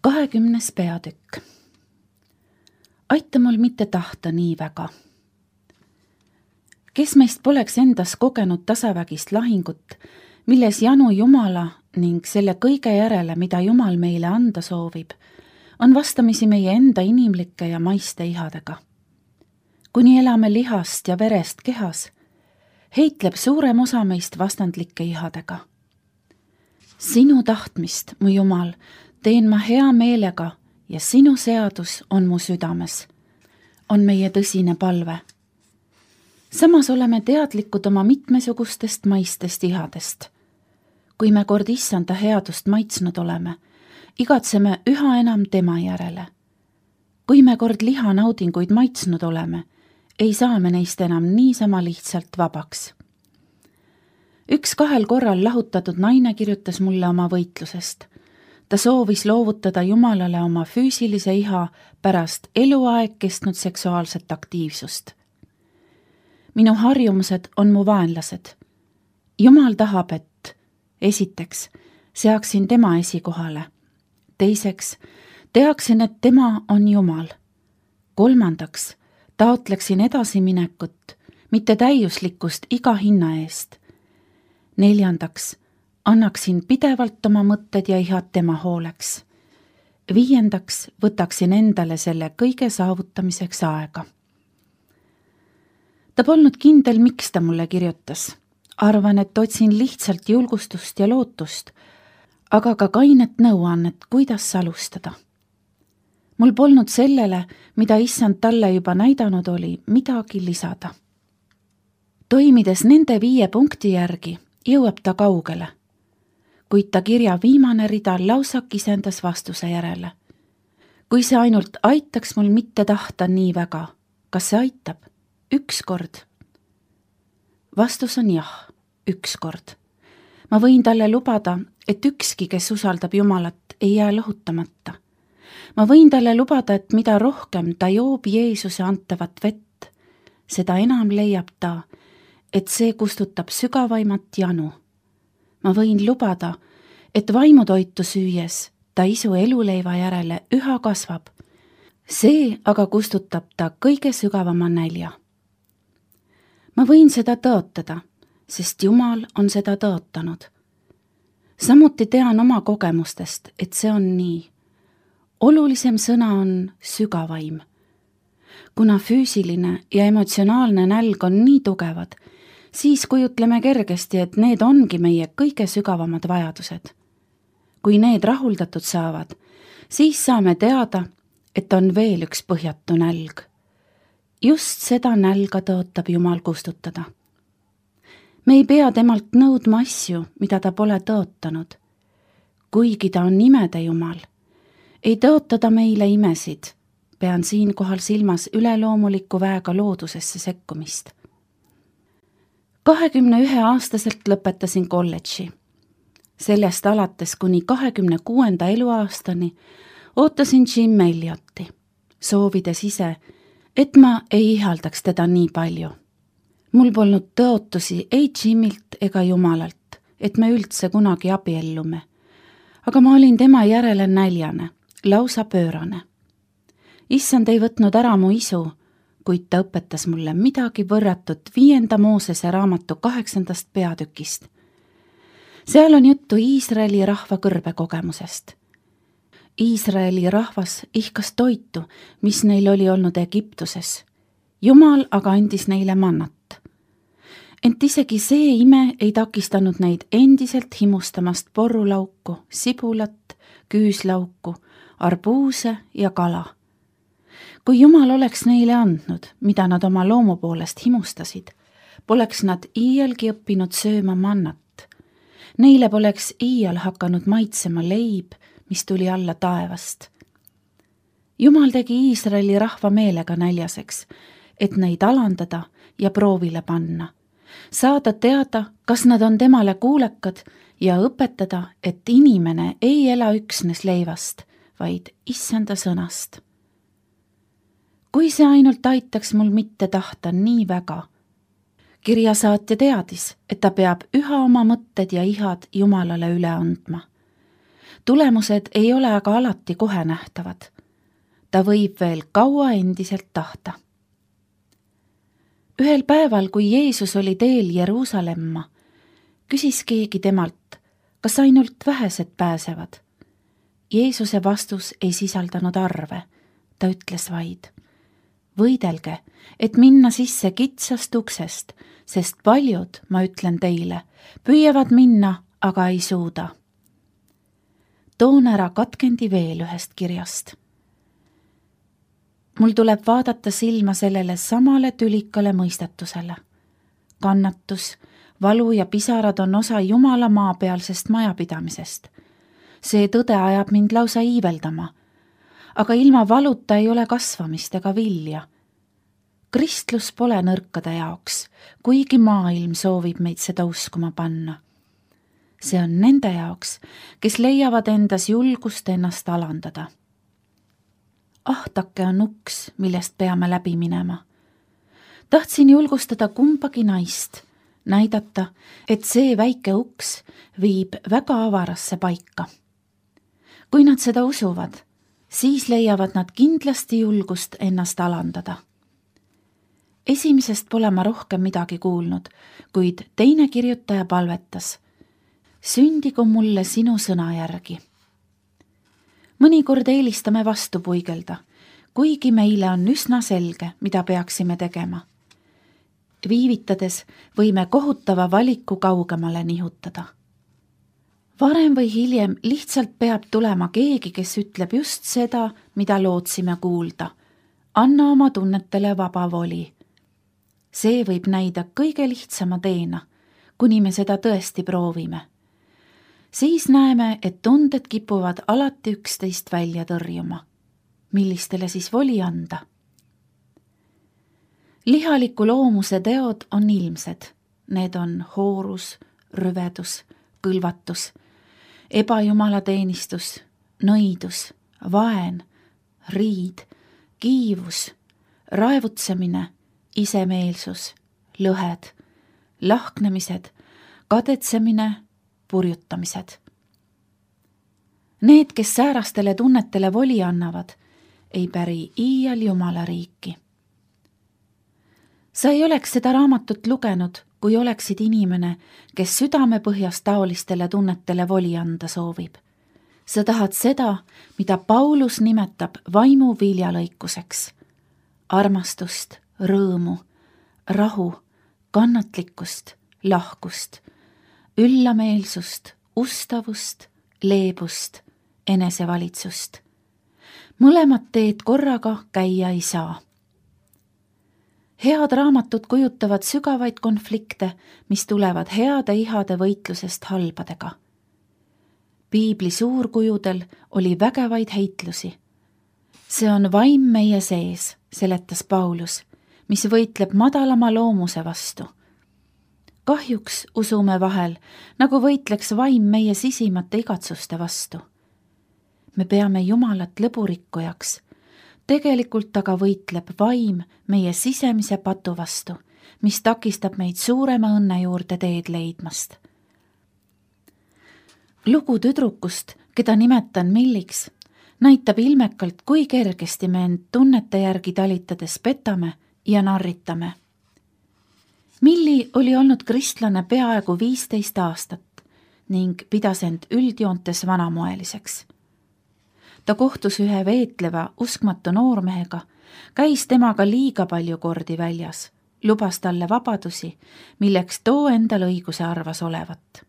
20. peatükk. Aita mul mitte tahta nii väga. Kes meist poleks endas kogenud tasavägist lahingut, milles janu Jumala ning selle kõige järele, mida Jumal meile anda soovib, on vastamisi meie enda inimlike ja maiste ihadega. Kuni elame lihast ja verest kehas, heitleb suurem osa meist vastandlike ihadega. Sinu tahtmist, mu Jumal, teen ma hea meelega ja sinu seadus on mu südames, on meie tõsine palve. Samas oleme teadlikud oma mitmesugustest maistest ihadest. Kui me kord issanda headust maitsnud oleme, igatseme üha enam tema järele. Kui me kord lihanaudinguid maitsnud oleme, ei saa me neist enam niisama lihtsalt vabaks. 2 korral lahutatud naine kirjutas mulle oma võitlusest. Ta soovis loovutada Jumalale oma füüsilise iha pärast eluaeg kestnud seksuaalset aktiivsust. Minu harjumused on mu vaenlased. Jumal tahab, et esiteks seaksin tema esikohale. Teiseks teaksin, et tema on Jumal. Kolmandaks taotleksin edasiminekut, mitte täiuslikkust iga hinna eest. Neljandaks annaksin pidevalt oma mõtted ja ihad tema hooleks. 5. võtaksin endale selle kõige saavutamiseks aega. Ta polnud kindel, miks ta mulle kirjutas. Arvan, et otsin lihtsalt julgustust ja lootust, aga ka kainet nõuannet, kuidas alustada. Mul polnud sellele, mida issand talle juba näidanud oli, midagi lisada. Toimides nende 5 punkti järgi, jõuab ta kaugele, kuid ta kirja viimane rida lausa kisendas vastuse järele. Kui see ainult aitaks mul mitte tahta nii väga, kas see aitab? 1 kord. Vastus on jah, 1 kord. Ma võin talle lubada, et ükski, kes usaldab Jumalat, ei jää lohutamata. Ma võin talle lubada, et mida rohkem ta joob Jeesuse antavat vett, seda enam leiab ta, et see kustutab sügavaimat janu. Ma võin lubada, et vaimutoitu süües ta isu eluleiva järele üha kasvab. See aga kustutab ta kõige sügavama nälja. Ma võin seda tõotada, sest Jumal on seda tõotanud. Samuti tean oma kogemustest, et see on nii. Olulisem sõna on sügavaim. Kuna füüsiline ja emotsionaalne nälg on nii tugevad, siis kujutleme kergesti, et need ongi meie kõige sügavamad vajadused. Kui need rahuldatud saavad, siis saame teada, et on veel üks põhjatu nälg. Just seda nälga tõotab Jumal kustutada. Me ei pea temalt nõudma asju, mida ta pole tõotanud. Kuigi ta on imede Jumal, ei tõota ta meile imesid, pean siinkohal silmas üleloomuliku väega loodusesse sekkumist. 21-aastaselt lõpetasin kolledži. Sellest alates kuni 26. eluaastani ootasin Jim Elliotti, soovides ise, et ma ei ihaldaks teda nii palju. Mul polnud tõotusi ei Jimilt ega Jumalalt, et me üldse kunagi abiellume, aga ma olin tema järele näljane, lausa pöörane. Issand ei võtnud ära mu isu, kuid ta õpetas mulle midagi võrratut 5. Moosese raamatu 8. peatükist. Seal on juttu Iisraeli rahva kõrbekogemusest. Iisraeli rahvas ihkas toitu, mis neil oli olnud Egiptuses. Jumal aga andis neile mannat. Ent isegi see ime ei takistanud neid endiselt himustamast porrulauku, sibulat, küüslauku, arbuuse ja kala. Kui Jumal oleks neile andnud, mida nad oma loomu poolest himustasid, poleks nad iialgi õppinud sööma mannat. Neile poleks iial hakanud maitsema leib, mis tuli alla taevast. Jumal tegi Iisraeli rahva meelega näljaseks, et neid alandada ja proovile panna. Saada teada, kas nad on temale kuulekad ja õpetada, et inimene ei ela üksnes leivast, vaid issanda sõnast. Kui see ainult aitaks mul mitte tahta nii väga. Kirjasaatja teadis, et ta peab üha oma mõtted ja ihad Jumalale üle andma. Tulemused ei ole aga alati kohe nähtavad. Ta võib veel kaua endiselt tahta. Ühel päeval, kui Jeesus oli teel Jeruusalemma, küsis keegi temalt, kas ainult vähesed pääsevad. Jeesuse vastus ei sisaldanud arve, ta ütles vaid: võidelge, et minna sisse kitsast uksest, sest paljud, ma ütlen teile, püüavad minna, aga ei suuda. Toon ära katkendi veel ühest kirjast. Mul tuleb vaadata silma sellele samale tülikale mõistatusele. Kannatus, valu ja pisarad on osa Jumala maapealsest majapidamisest. See tõde ajab mind lausa iiveldama, aga ilma valuta ei ole kasvamist ega vilja. Kristlus pole nõrkade jaoks, kuigi maailm soovib meid seda uskuma panna. See on nende jaoks, kes leiavad endas julgust ennast alandada. Ahtake on uks, millest peame läbi minema. Tahtsin julgustada kumbagi naist, näidata, et see väike uks viib väga avarasse paika. Kui nad seda usuvad, siis leiavad nad kindlasti julgust ennast alandada. Esimesest pole ma rohkem midagi kuulnud, kuid teine kirjutaja palvetas: sündigu mulle sinu sõna järgi. Mõnikord eelistame vastu puigelda, kuigi meile on üsna selge, mida peaksime tegema. Viivitades võime kohutava valiku kaugemale nihutada. Varem või hiljem lihtsalt peab tulema keegi, kes ütleb just seda, mida lootsime kuulda. Anna oma tunnetele vaba voli. See võib näida kõige lihtsama teena, kuni me seda tõesti proovime. Siis näeme, et tunded kipuvad alati üksteist välja tõrjuma. Millistele siis voli anda? Lihaliku loomuse teod on ilmsed. Need on hoorus, rüvedus, kõlvatus, ebajumalateenistus, nõidus, vaen, riid, kiivus, raevutsemine, isemeelsus, lõhed, lahknemised, kadetsemine, purjutamised. Need, kes säärastele tunnetele voli annavad, ei päri iial Jumala riiki. Sa ei oleks seda raamatut lugenud, kui oleksid inimene, kes südamepõhjas taolistele tunnetele voli anda soovib. Sa tahad seda, mida Paulus nimetab vaimu viljalõikuseks. Armastust, rõõmu, rahu, kannatlikkust, lahkust, üllameelsust, ustavust, leebust, enesevalitsust. Mõlemad teed korraga käia ei saa. Head raamatud kujutavad sügavaid konflikte, mis tulevad heade ihade võitlusest halbadega. Piibli suurkujudel oli vägevaid heitlusi. See on vaim meie sees, seletas Paulus, mis võitleb madalama loomuse vastu. Kahjuks usume vahel, nagu võitleks vaim meie sisimate igatsuste vastu. Me peame Jumalat lõburikkujaks. Tegelikult aga võitleb vaim meie sisemise patu vastu, mis takistab meid suurema õnne juurde teed leidmast. Lugu tüdrukust, keda nimetan Milliks, näitab ilmekalt, kui kergesti me end tunnete järgi talitades petame ja narritame. Milli oli olnud kristlane peaaegu 15 aastat ning pidas end üldjoontes vanamoeliseks. Ta kohtus ühe veetleva, uskmatu noormehega, käis temaga liiga palju kordi väljas, lubas talle vabadusi, milleks too endal õiguse arvas olevat.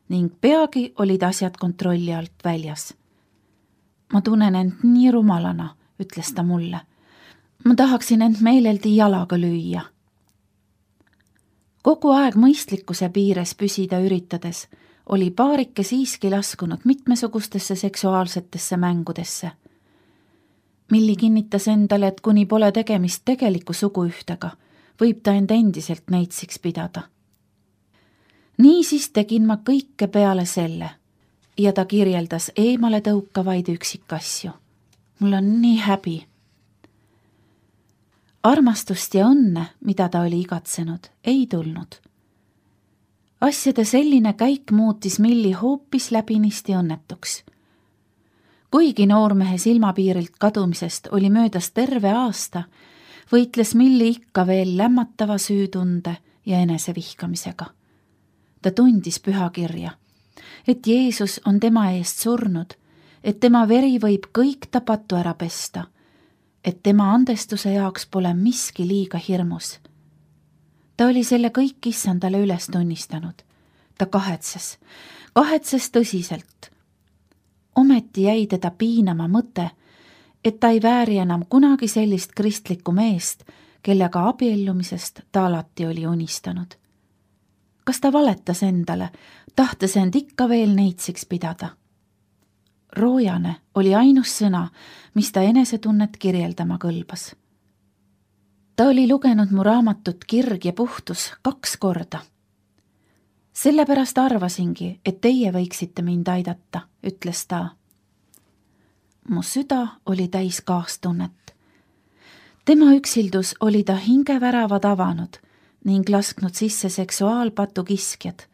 Ning peagi olid asjad kontrolli alt väljas. Ma tunnen end nii rumalana, ütles ta mulle. Ma tahaksin end meeleldi jalaga lüüa. Kogu aeg mõistlikkuse piires püsida üritades oli paarike siiski laskunud mitmesugustesse seksuaalsetesse mängudesse. Milli kinnitas endale, et kuni pole tegemist tegeliku suguühtega, võib ta end endiselt neitsiks pidada. Niisiis tegin ma kõike peale selle ja ta kirjeldas eemale tõukavaid üksikasju. Mul on nii häbi. Armastust ja õnne, mida ta oli igatsenud, ei tulnud. Asjade selline käik muutis Milli hoopis läbinisti õnnetuks. Kuigi noormehe silmapiirilt kadumisest oli möödas terve aasta, võitles Milli ikka veel lämmatava süütunde ja enesevihkamisega. Ta tundis pühakirja, et Jeesus on tema eest surnud, et tema veri võib kõik ta patu ära pesta, et tema andestuse jaoks pole miski liiga hirmus. Ta oli selle kõik issandale üles tunnistanud. Ta kahetses tõsiselt. Ometi jäi teda piinama mõte, et ta ei vääri enam kunagi sellist kristlikku meest, kellega abiellumisest ta alati oli unistanud. Kas ta valetas endale, tahtes end ikka veel neitsiks pidada? Roojane oli ainus sõna, mis ta enesetunnet kirjeldama kõlbas. Ta oli lugenud mu raamatut Kirg ja puhtus 2 korda. Sellepärast arvasingi, et teie võiksite mind aidata, ütles ta. Mu süda oli täis kaastunnet. Tema üksildus oli ta hingeväravad avanud ning lasknud sisse seksuaalpatu kiskjad.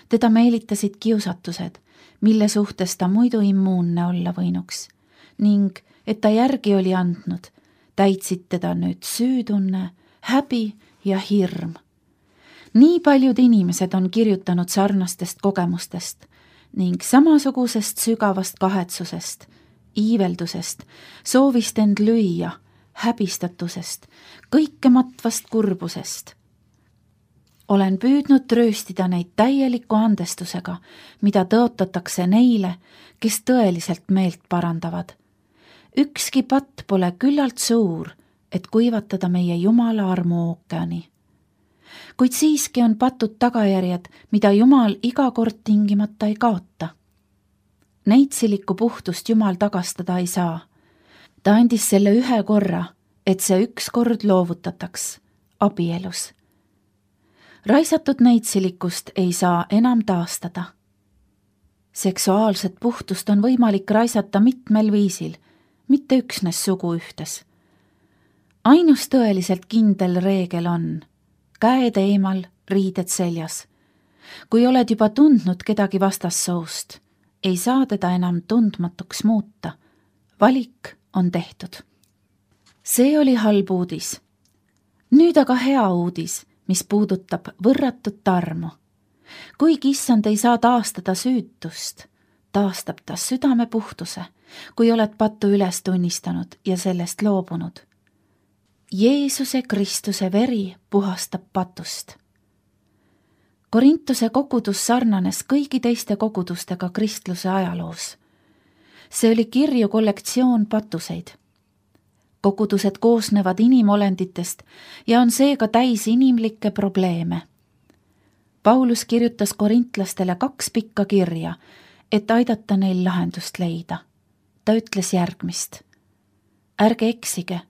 Teda meelitasid kiusatused, mille suhtes ta muidu immuunne olla võinuks ning et ta järgi oli andnud, täitsid teda nüüd süütunne, häbi ja hirm. Nii paljud inimesed on kirjutanud sarnastest kogemustest ning samasugusest sügavast kahetsusest, iiveldusest, soovist end lüüa, häbistatusest, kõikematvast kurbusest. Olen püüdnud trööstida neid täieliku andestusega, mida tõotatakse neile, kes tõeliselt meelt parandavad. Ükski patt pole küllalt suur, et kuivatada meie Jumala armu ookeani. Kuid siiski on patud tagajärjed, mida Jumal iga kord tingimata ei kaota. Neitsilikku puhtust Jumal tagastada ei saa. Ta andis selle 1 korra, et see 1 kord loovutataks, abielus. Raisatud neitsilikust ei saa enam taastada. Seksuaalset puhtust on võimalik raisata mitmel viisil, mitte üksnes suguühtes. Ainus tõeliselt kindel reegel on käed eemal, riided seljas. Kui oled juba tundnud kedagi vastassoost, ei saa teda enam tundmatuks muuta. Valik on tehtud. See oli halb uudis. Nüüd aga hea uudis, mis puudutab võrratut armu. Kuigi issand ei saa taastada süütust, taastab ta südame puhtuse, kui oled pattu üles tunnistanud ja sellest loobunud. Jeesuse Kristuse veri puhastab patust. Korintuse kogudus sarnanes kõigi teiste kogudustega kristluse ajaloos. See oli kirju kollektsioon patuseid. Kogudused koosnevad inimolenditest ja on seega täis inimlikke probleeme. Paulus kirjutas korintlastele 2 pikka kirja, et aidata neil lahendust leida. Ta ütles järgmist. Ärge eksige,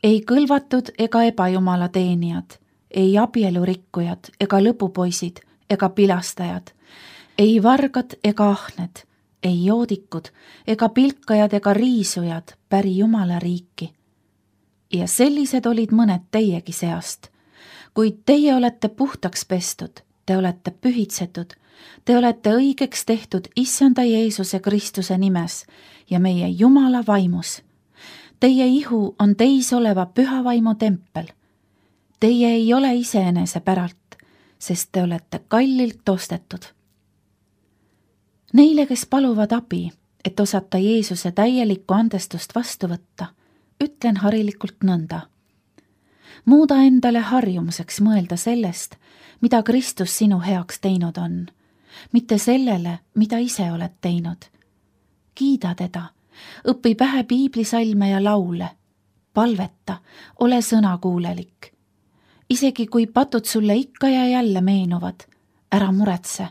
ei kõlvatud ega ebajumala teenijad, ei abielurikkujad ega lõpupoisid ega pilastajad, ei vargad ega ahned, ei joodikud ega pilkajad ega riisujad päri Jumala riiki. Ja sellised olid mõned teiegi seast, kuid teie olete puhtaks pestud, te olete pühitsetud, te olete õigeks tehtud issanda Jeesuse Kristuse nimes ja meie Jumala vaimus. Teie ihu on teis oleva püha vaimu tempel. Teie ei ole iseenese päralt, sest te olete kallilt ostetud. Neile, kes paluvad abi, et osata Jeesuse täielikku andestust vastu võtta, ütlen harilikult nõnda. Muuda endale harjumuseks mõelda sellest, mida Kristus sinu heaks teinud on, mitte sellele, mida ise oled teinud. Kiida teda, õpi pähe piiblisalme ja laule, palveta, ole sõnakuulelik. Isegi kui patud sulle ikka ja jälle meenuvad, ära muretse,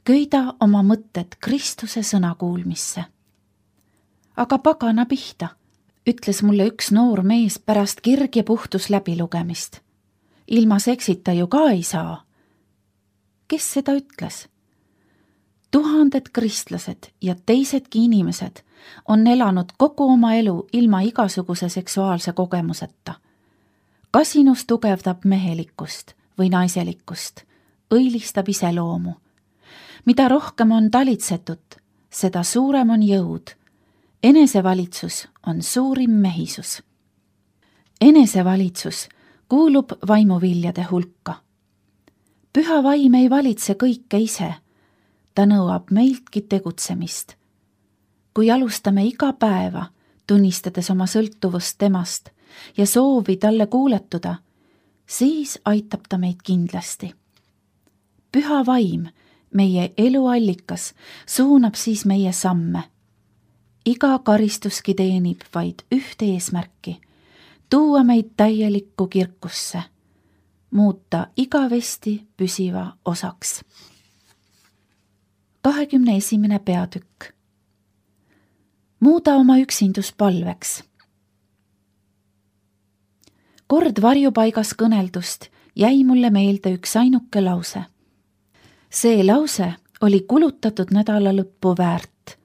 köida oma mõtted Kristuse sõnakuulmisse. Aga pagana pihta, ütles mulle üks noor mees pärast kirg ja puhtus läbilugemist. Ilma seksita ju ka ei saa. Kes seda ütles? 1000 kristlased ja teisedki inimesed on elanud kogu oma elu ilma igasuguse seksuaalse kogemuseta. Kasinus tugevdab mehelikkust või naiselikkust, õilistab iseloomu. Mida rohkem on talitsetud, seda suurem on jõud. Enesevalitsus on suurim mehisus. Enesevalitsus kuulub vaimuviljade hulka. Püha vaim ei valitse kõike ise, ta nõuab meiltki tegutsemist. Kui alustame iga päeva, tunnistades oma sõltuvust temast ja soovi talle kuuletuda, siis aitab ta meid kindlasti. Püha vaim, meie eluallikas, suunab siis meie samme. Iga karistuski teenib vaid ühte eesmärki, tuua meid täielikku kirkusse, muuta igavesti püsiva osaks. 21. peatükk. Muuda oma üksindus palveks. Kord varjupaigas kõneldust jäi mulle meelde üks ainuke lause. See lause oli kulutatud nädala lõppu väärt.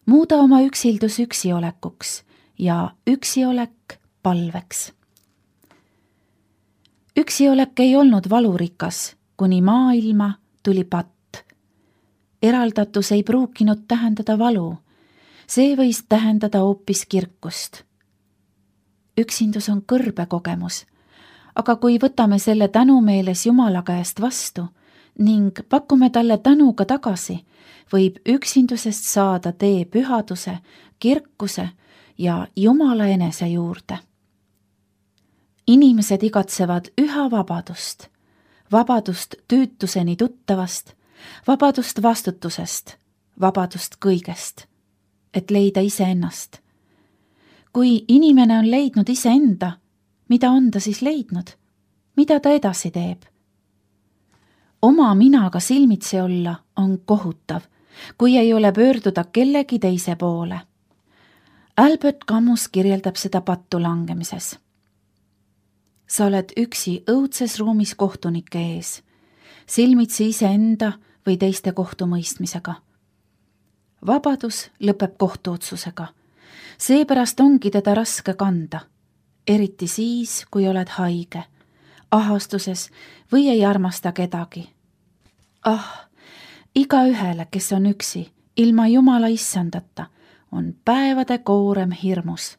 Muuda oma üksildus üksiolekuks ja üksiolek palveks. Üksiolek ei olnud valurikas, kuni maailma tuli patt. Eraldatus ei pruukinud tähendada valu, see võis tähendada hoopis kirkust. Üksindus on kõrbe kogemus, aga kui võtame selle tänumeeles Jumala käest vastu ning pakume talle tänuga tagasi, võib üksindusest saada tee pühaduse, kirkuse ja Jumala enese juurde. Inimesed igatsevad üha vabadust, vabadust tüütuseni tuttavast, vabadust vastutusest, vabadust kõigest, et leida iseennast. Kui inimene on leidnud iseenda, mida on ta siis leidnud? Mida ta edasi teeb? Oma minaga silmitsi olla on kohutav, kui ei ole pöörduda kellegi teise poole. Albert Camus kirjeldab seda pattu langemises. Sa oled üksi õudses ruumis kohtunike ees, silmitsi iseenda või teiste kohtumõistmisega. Vabadus lõpeb kohtuotsusega. Seepärast ongi teda raske kanda, eriti siis, kui oled haige, ahastuses või ei armasta kedagi. Igaühele, kes on üksi, ilma Jumala issandata, on päevade koorem hirmus.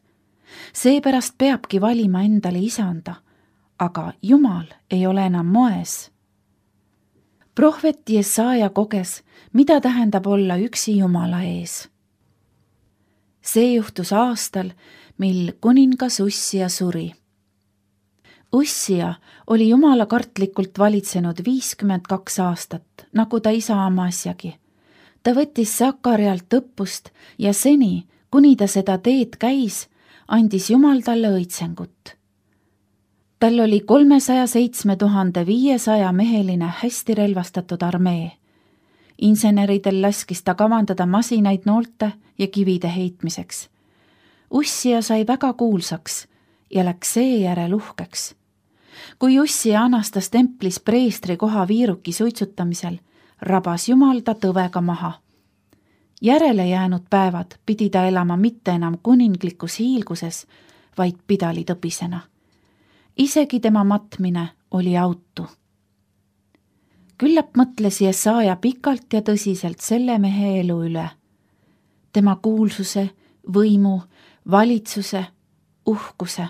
Seepärast peabki valima endale isanda, aga Jumal ei ole enam moes. Prohvet Jesaja koges, mida tähendab olla üksi Jumala ees. See juhtus aastal, mil kuningas Ussia suri. Ussia oli Jumala kartlikult valitsenud 52 aastat, nagu ta isa Amasjagi. Ta võttis Sakarialt õppust ja seni, kuni ta seda teed käis, andis Jumal talle õitsengut. Tal oli 307 500 meheline hästi relvastatud armee. Inseneridel laskis ta kavandada masinaid noolte ja kivide heitmiseks. Ussia sai väga kuulsaks ja läks seejärel uhkeks. Kui Ussia anastas templis preestri koha viiruki suitsutamisel, rabas Jumal ta tõvega maha. Järele jäänud päevad pidi ta elama mitte enam kuninglikus hiilguses, vaid pidalitõpisena. Isegi tema matmine oli autu. Küllap mõtles Jesaja pikalt ja tõsiselt selle mehe elu üle. Tema kuulsuse, võimu, valitsuse, uhkuse,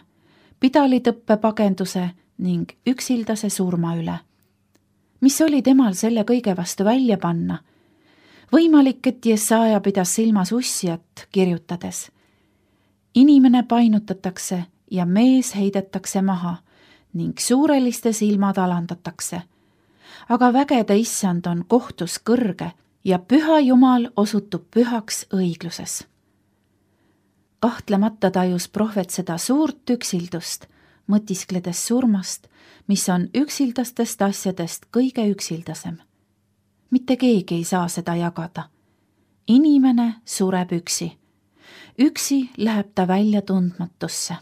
pidalitõppe pagenduse ning üksildase surma üle. Mis oli temal selle kõige vastu välja panna? Võimalik, et Jesaja pidas silmas Ussiat kirjutades. Inimene painutatakse ja mees heidetakse maha ning suureliste silmad alandatakse. Aga vägede issand on kohtus kõrge ja püha Jumal osutub pühaks õigluses. Kahtlemata tajus prohvet seda suurt üksildust, mõtiskledes surmast, mis on üksildastest asjadest kõige üksildasem. Mitte keegi ei saa seda jagada. Inimene sureb üksi. Üksi läheb ta välja tundmatusse.